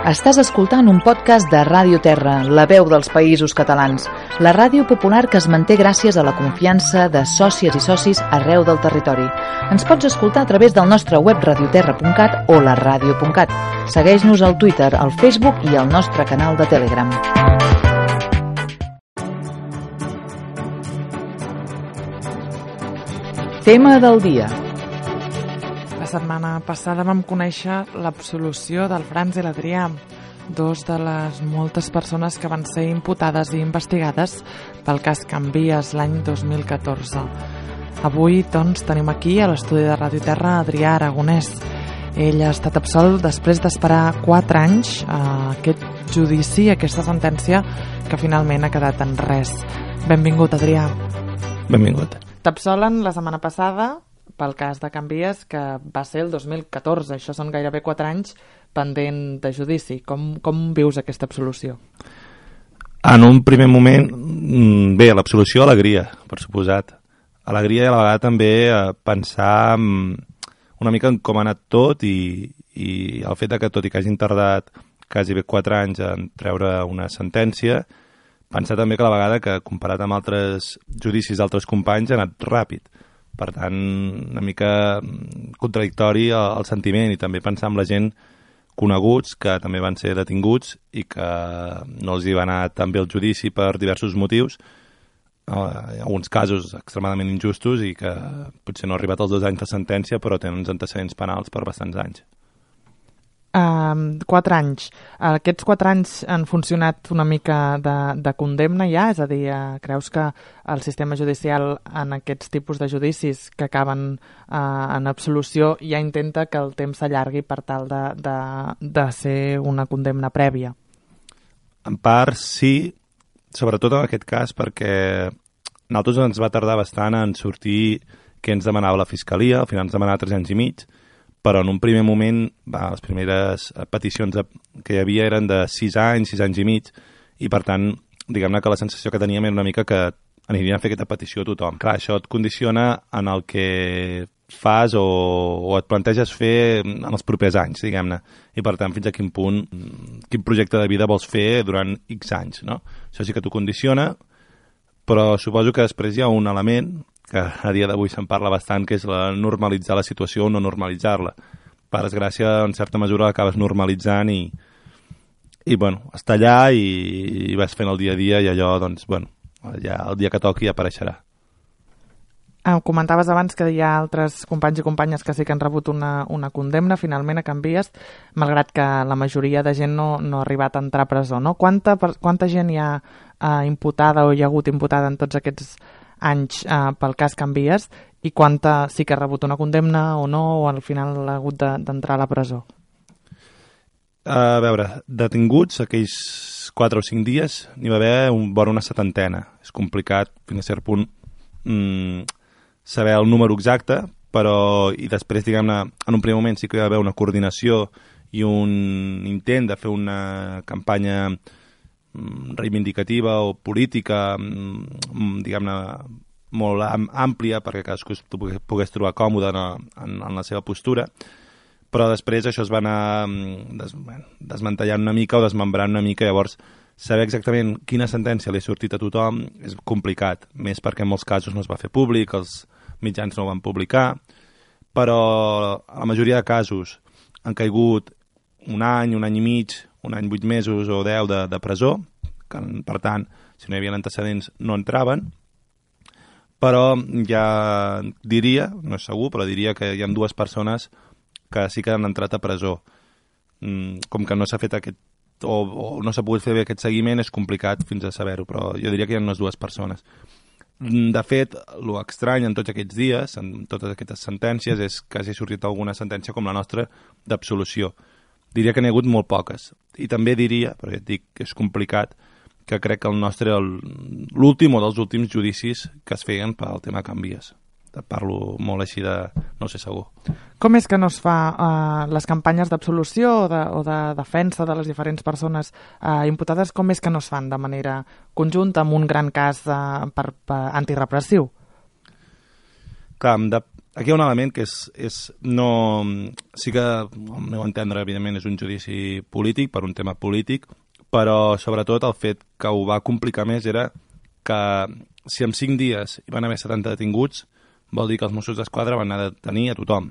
Estàs escoltant un podcast de Ràdio Terra, la veu dels Països Catalans, la ràdio popular que es manté gràcies a la confiança de sòcies i socis arreu del territori. Ens pots escoltar a través del nostre web radioterra.cat o la ràdio.cat. Segueix-nos al Twitter, al Facebook i al nostre canal de Telegram. Tema del dia. La setmana passada vam conèixer l'absolució del Franz i l'Adrià, dos de les moltes persones que van ser imputades i investigades pel cas Canvies l'any 2014. Avui, doncs, tenim aquí a l'estudi de Ràdio Terra Adrià Aragonès. Ell ha estat absolt després d'esperar 4 anys a aquest judici, aquesta sentència que finalment ha quedat en res. Benvingut, Adrià. Benvingut. T'absolen la setmana passada pel cas de Canvies, que va ser el 2014. Això són gairebé 4 anys pendent de judici. Com vius aquesta absolució? En un primer moment, bé, l'absolució, alegria, per suposat. Alegria i a la vegada també pensar una mica en com ha anat tot i el fet que, tot i que hagin tardat quasi bé 4 anys en treure una sentència, pensar també que a la vegada que, comparat amb altres judicis d'altres companys, ha anat ràpid. Per tant, una mica contradictori el sentiment, i també pensar en la gent coneguts que també van ser detinguts i que no els hi va anar tan bé el judici per diversos motius, en alguns casos extremadament injustos i que potser no ha arribat als 2 anys de sentència, però tenen uns antecedents penals per bastants anys. 4 anys. Aquests 4 anys han funcionat una mica de condemna ja? És a dir, creus que el sistema judicial en aquests tipus de judicis que acaben en absolució ja intenta que el temps s'allargui per tal de ser una condemna prèvia? En part sí, sobretot en aquest cas perquè a nosaltres ens va tardar bastant en sortir què ens demanava la Fiscalia. Al final ens demanava 3 anys i mig, però en un primer moment les primeres peticions que hi havia eren de 6 anys i mig, i per tant, diguem-ne que la sensació que teníem era una mica que anirien a fer aquesta petició a tothom. Clar, això et condiciona en el que fas o et planteges fer en els propers anys, diguem-ne, i per tant fins a quin punt, quin projecte de vida vols fer durant X anys, no? Això sí que t'ho condiciona, però suposo que després hi ha un element que a dia d'avui se'n parla bastant, que és normalitzar la situació o no normalitzar-la. Per desgràcia, en certa mesura, l'acabes normalitzant i bueno, està allà i vas fent el dia a dia i allò, doncs, bueno, ja el dia que toqui apareixerà. Comentaves abans que hi ha altres companys i companyes que sí que han rebut una condemna, finalment a Canvies, malgrat que la majoria de gent no ha arribat a entrar a presó, no? Quanta gent hi ha imputada o hi ha hagut imputada en tots aquests anys pel cas Canvies, i quanta sí que ha rebut una condemna o no, o al final ha hagut d'entrar a la presó? A veure, detinguts aquells 4 o 5 dies n'hi va haver vora una 70. És complicat fins a cert punt saber el número exacte, però i després, diguem-ne, en un primer moment sí que hi va haver una coordinació i un intent de fer una campanya reivindicativa o política, diguem-ne, molt àmplia perquè cadascú pogués trobar còmode en la seva postura, però després això es va anar desmantellant una mica o desmembrant una mica. Llavors, saber exactament quina sentència li ha sortit a tothom és complicat, més perquè en molts casos no es va fer públic, els mitjans no ho van publicar, però a la majoria de casos han caigut un any i mig, un any 8 mesos o 10 de presó, que per tant, si no hi havia antecedents no entraven, però ja diria, no és segur, però diria que hi ha 2 persones que sí que han entrat a presó. Com que no s'ha fet o no s'ha pogut fer bé aquest seguiment, és complicat fins a saber-ho, però jo diria que hi ha unes 2 persones. De fet, l'estrany en tots aquests dies, en totes aquestes sentències, és que hagi sortit alguna sentència com la nostra d'absolució. Diria que n'hi ha hagut molt poques. I també diria, perquè et dic que és complicat, que crec que el nostre era l'últim o dels últims judicis que es feien pel tema Canvies. Parlo molt així de no sé segur. Com és que no es fa les campanyes d'absolució o de defensa de les diferents persones imputades, com és que no es fan de manera conjunta amb un gran cas antirepressiu? Clar, aquí hi ha un element que sí que, al meu entendre, evidentment, és un judici polític, per un tema polític, però sobretot el fet que ho va complicar més era que si en 5 dies hi van haver 70 detinguts, vol dir que els Mossos d'Esquadra van anar a detenir a tothom,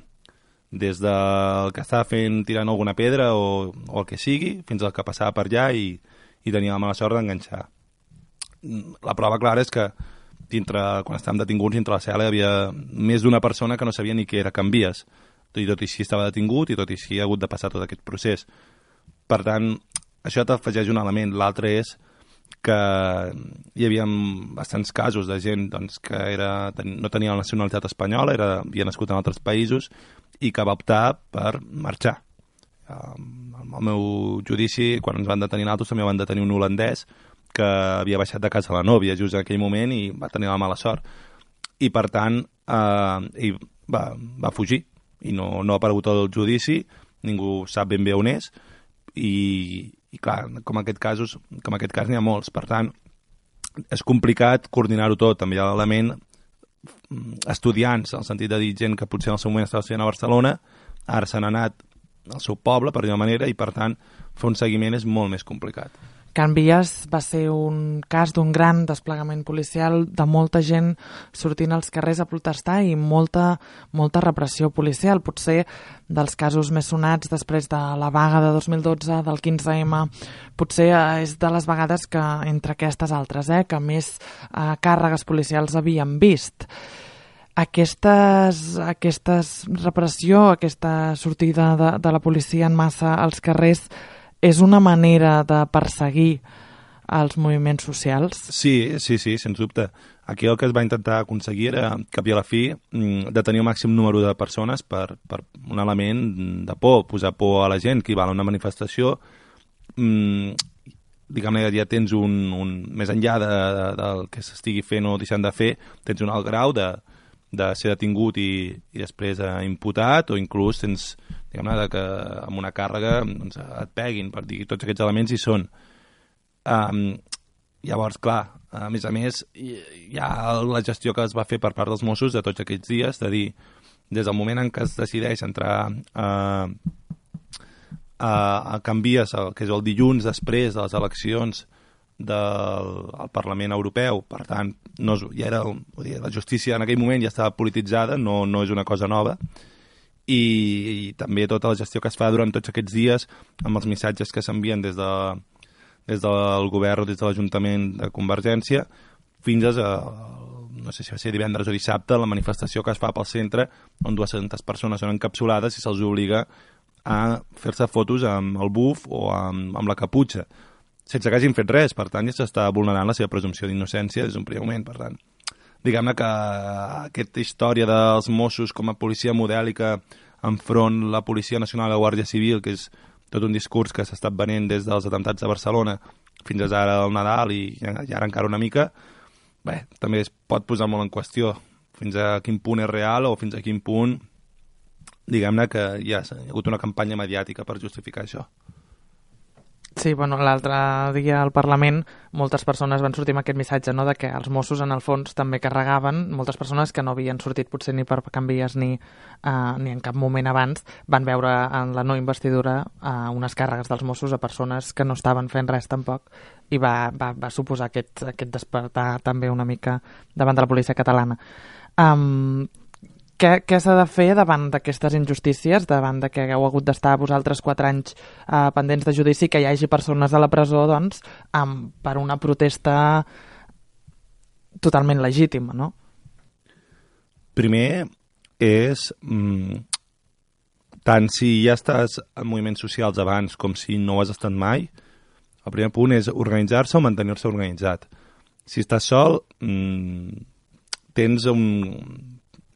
des del que estava fent tirant alguna pedra o el que sigui, fins al que passava per allà i tenia la mala sort d'enganxar. La prova clara és que quan estàvem detinguts, dintre la cel·la hi havia més d'una persona que no sabia ni què era canvies, i tot i així estava detingut i tot i així ha hagut de passar tot aquest procés. Per tant, això t'afegeix un element. L'altre és que hi havia bastants casos de gent doncs, que no tenia la nacionalitat espanyola, havia nascut en altres països i que va optar per marxar. Al meu judici, quan ens van detenir nosaltres, també van detenir un holandès que havia baixat de casa la nòvia just en aquell moment i va tenir la mala sort. I, per tant, va fugir i no ha aparegut el judici, ningú sap ben bé on és i clar, com aquest cas n'hi ha molts. Per tant, és complicat coordinar-ho tot. També hi ha l'element estudiants, en el sentit de dir gent que potser en el seu moment estava estudiant a Barcelona, ara s'han anat al seu poble, per dir-ho manera, i per tant, fer un seguiment és molt més complicat. Can Vies va ser un cas d'un gran desplegament policial, de molta gent sortint als carrers a protestar i molta repressió policial. Potser dels casos més sonats després de la vaga de 2012, del 15M, potser és de les vegades que, entre aquestes altres, que més càrregues policials havíem vist. Aquesta repressió, aquesta sortida de la policia en massa als carrers, és una manera de perseguir els moviments socials? Sí, sens dubte. Aquí el que es va intentar aconseguir era, cap i a la fi, detenir el màxim número de persones per un element de por, posar por a la gent que hi va a una manifestació. Diguem-ne, ja tens més enllà del que s'estigui fent o deixant de fer, tens un alt grau de ser detingut i després imputat, o inclús tens, diguem-ne, que amb una càrrega doncs, et peguin, per dir, tots aquests elements hi són. Llavors, clar, a més, hi ha la gestió que es va fer per part dels Mossos de tots aquests dies, de dir, des del moment en què es decideix entrar a Can Vies, que és el dilluns després de les eleccions del Parlament Europeu, per tant, la justícia en aquell moment ja estava polititzada, no és una cosa nova, i també tota la gestió que es fa durant tots aquests dies amb els missatges que s'envien des del govern o des de l'Ajuntament de Convergència fins a, no sé si va ser divendres o dissabte, la manifestació que es fa pel centre on 200 persones són encapsulades i se'ls obliga a fer-se fotos amb el buf o amb la caputxa, sense que hagin fet res. Per tant, ja s'està vulnerant la seva presumpció d'innocència des d'un primer moment. Per tant, diguem-ne que aquesta història dels Mossos com a policia modèlica enfront la Policia Nacional i la Guàrdia Civil, que és tot un discurs que s'ha estat venent des dels atemptats de Barcelona fins ara al Nadal i ara encara una mica, bé, també es pot posar molt en qüestió fins a quin punt és real o fins a quin punt, diguem-ne, que hi ha hagut una campanya mediàtica per justificar això. Sí, bueno, l'altre dia al Parlament moltes persones van sortir amb aquest missatge, no?, de que els Mossos en el fons també carregaven, moltes persones que no havien sortit potser ni per Can Vies ni en cap moment abans, van veure en la no investidura unes càrregues dels Mossos a persones que no estaven fent res tampoc, i va suposar aquest despertar també una mica davant de la policia catalana. Què s'ha de fer davant d'aquestes injustícies, davant de que hagueu hagut d'estar vosaltres 4 anys pendents de judici, que hi hagi persones a la presó, doncs, per una protesta totalment legítima, no? Primer és, tant si ja estàs en moviments socials abans com si no ho has estat mai, el primer punt és organitzar-se o mantenir-se organitzat. Si estàs sol, tens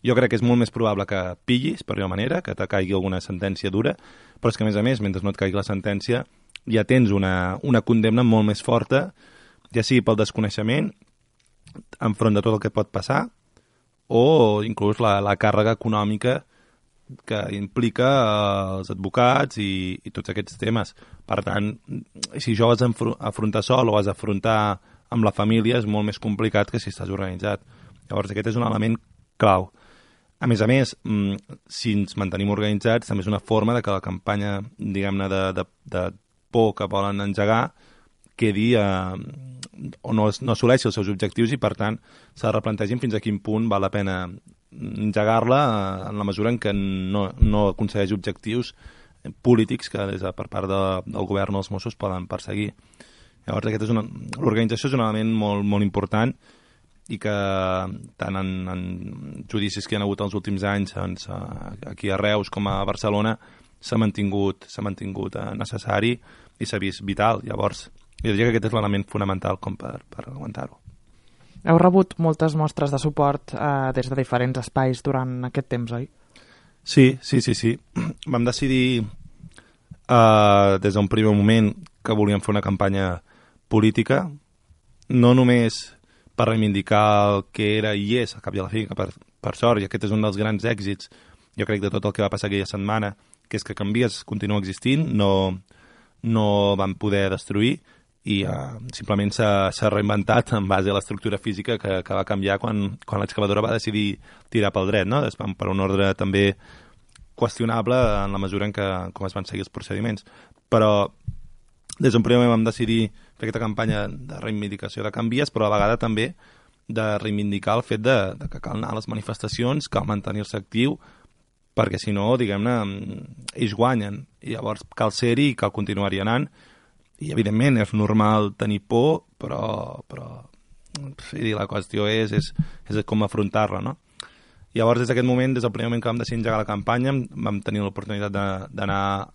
jo crec que és molt més probable que pillis, per una manera, que te caigui alguna sentència dura, però és que, a més, mentre no et caigui la sentència, ja tens una condemna molt més forta, ja sigui pel desconeixement, enfront de tot el que pot passar, o inclús la càrrega econòmica que implica els advocats i tots aquests temes. Per tant, si jo has d'afrontar sol o has d'afrontar amb la família, és molt més complicat que si estàs organitzat. Llavors, aquest és un element clau. A més, si ens mantenim organitzats, també és una forma de que la campanya, diguem-ne, de por que volen engegar quedi o no assoleixi els seus objectius i, per tant, se replantegin fins a quin punt val la pena engegar-la en la mesura en què no aconsegueix objectius polítics que per part del govern o els Mossos poden perseguir. Llavors, l'organització és un element molt, molt important i que tant en judicis que hi ha hagut els últims anys aquí a Reus com a Barcelona s'ha mantingut necessari i s'ha vist vital. Llavors, jo diria que aquest és l'element fonamental com per aguantar-ho. Heu rebut moltes mostres de suport des de diferents espais durant aquest temps, oi? Sí. Vam decidir des d'un primer moment que volíem fer una campanya política, no només per reivindicar el que era i és, al cap i a la fi, que per sort, i aquest és un dels grans èxits, jo crec, de tot el que va passar aquella setmana, que és que Canvies continua existint, no van poder destruir, i simplement s'ha reinventat en base a l'estructura física que va canviar quan l'excavadora va decidir tirar pel dret, no? Per un ordre també qüestionable en la mesura en què com es van seguir els procediments. Però des d'un primer moment vam decidir fer aquesta campanya de reivindicació de Canvies, però a la vegada també de reivindicar el fet de que cal anar a les manifestacions, cal mantenir-se actiu, perquè si no, diguem-ne, ells guanyen, i llavors cal ser-hi i cal continuar-hi anant, i evidentment és normal tenir por, però sí, la qüestió és com afrontar-la, no? Llavors, des d'aquest moment, des del primer moment que vam decidir engegar la campanya, vam tenir l'oportunitat d'anar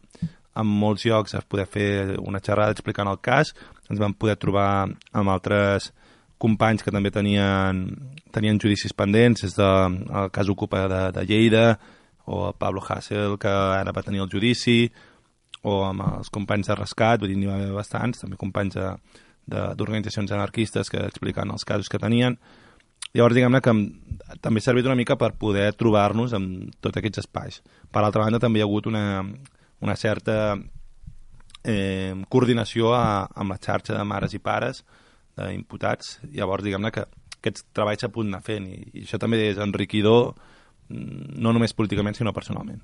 a molts llocs a poder fer una xerrada explicant el cas, ens vam poder trobar amb altres companys que també tenien judicis pendents, des del cas Ocupa de Lleida, o el Pablo Hasél, que ara va tenir el judici, o amb els companys de rescat, vull dir, n'hi va haver bastants, també companys d'organitzacions anarquistes que expliquen els casos que tenien. Llavors, diguem-ne que també ha servit una mica per poder trobar-nos en tots aquests espais. Per altra banda, també hi ha hagut una certa coordinació amb la xarxa de mares i pares d'imputats. Llavors, diguem-ne que aquests treballs s'ha pogut anar fent i això també és enriquidor, no només políticament, sinó personalment.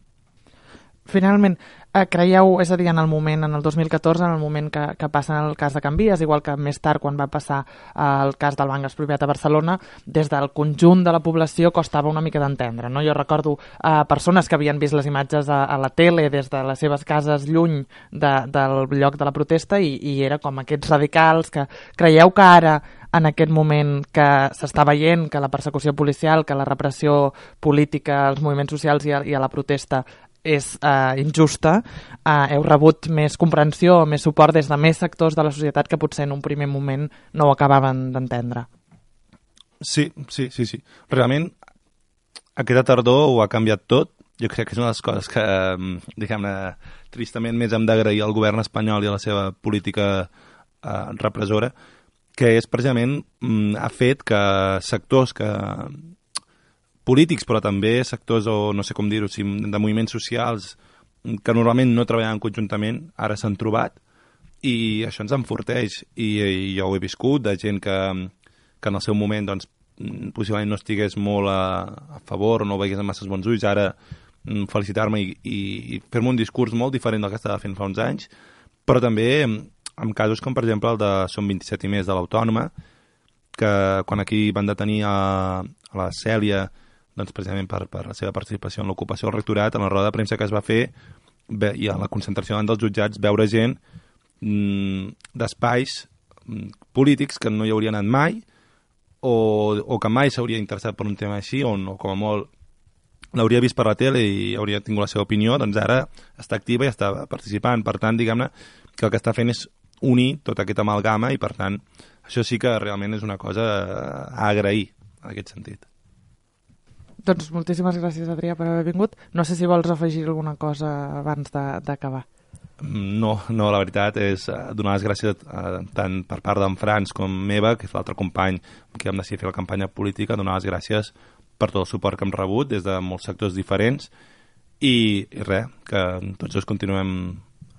Finalment, creieu, és a dir, en el 2014, en el moment que passa el cas de Canvies, igual que més tard quan va passar el cas del Banc Expropiat a Barcelona, des del conjunt de la població costava una mica d'entendre, no? Jo recordo persones que havien vist les imatges a la tele des de les seves cases lluny del lloc de la protesta i era com aquests radicals que creieu que ara, en aquest moment que s'està veient que la persecució policial, que la repressió política als moviments socials i a la protesta és injusta, heu rebut més comprensió, més suport des de més sectors de la societat que potser en un primer moment no ho acabaven d'entendre. Sí. Realment, aquesta tardor ho ha canviat tot. Jo crec que és una de les coses que, diguem-ne, tristament més hem d'agrair al govern espanyol i a la seva política repressora, que és precisament ha fet que sectors polítics, però també sectors, o no sé com dir-ho, de moviments socials que normalment no treballaven conjuntament, ara s'han trobat i això ens enforteix. I jo ho he viscut, de gent que en el seu moment doncs, possiblement no estigués molt a favor o no ho veigués amb masses bons ulls, ara felicitar-me i fer-me un discurs molt diferent del que estava fent fa uns anys, però també en casos com, per exemple, el de Som 27 i més de l'Autònoma, que quan aquí van detenir a la Cèlia, doncs precisament per la seva participació en l'ocupació del rectorat, en la roda de premsa que es va fer i a la concentració davant dels jutjats, veure gent d'espais polítics que no hi hauria anat mai o que mai s'hauria interessat per un tema així, o com a molt l'hauria vist per la tele i hauria tingut la seva opinió, doncs ara està activa i està participant. Per tant, diguem-ne que el que està fent és unir tota aquesta amalgama i, per tant, això sí que realment és una cosa a agrair en aquest sentit. Doncs moltíssimes gràcies, Adrià, per haver vingut. No sé si vols afegir alguna cosa abans d'acabar. No, la veritat és donar les gràcies tant per part d'en Franç com meva, que és l'altre company que vam decidir fer la campanya política, donar les gràcies per tot el suport que hem rebut des de molts sectors diferents i res, que tots dos continuem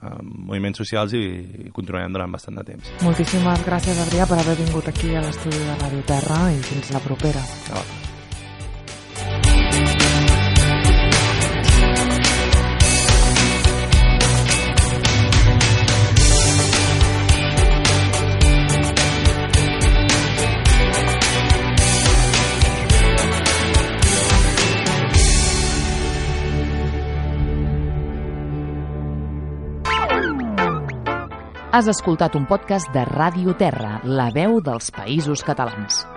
en moviments socials i continuarem durant bastant de temps. Moltíssimes gràcies, Adrià, per haver vingut aquí a l'estudi de Ràdio Terra i fins la propera. Gràcies. Has escoltat un podcast de Ràdio Terra, la veu dels Països Catalans.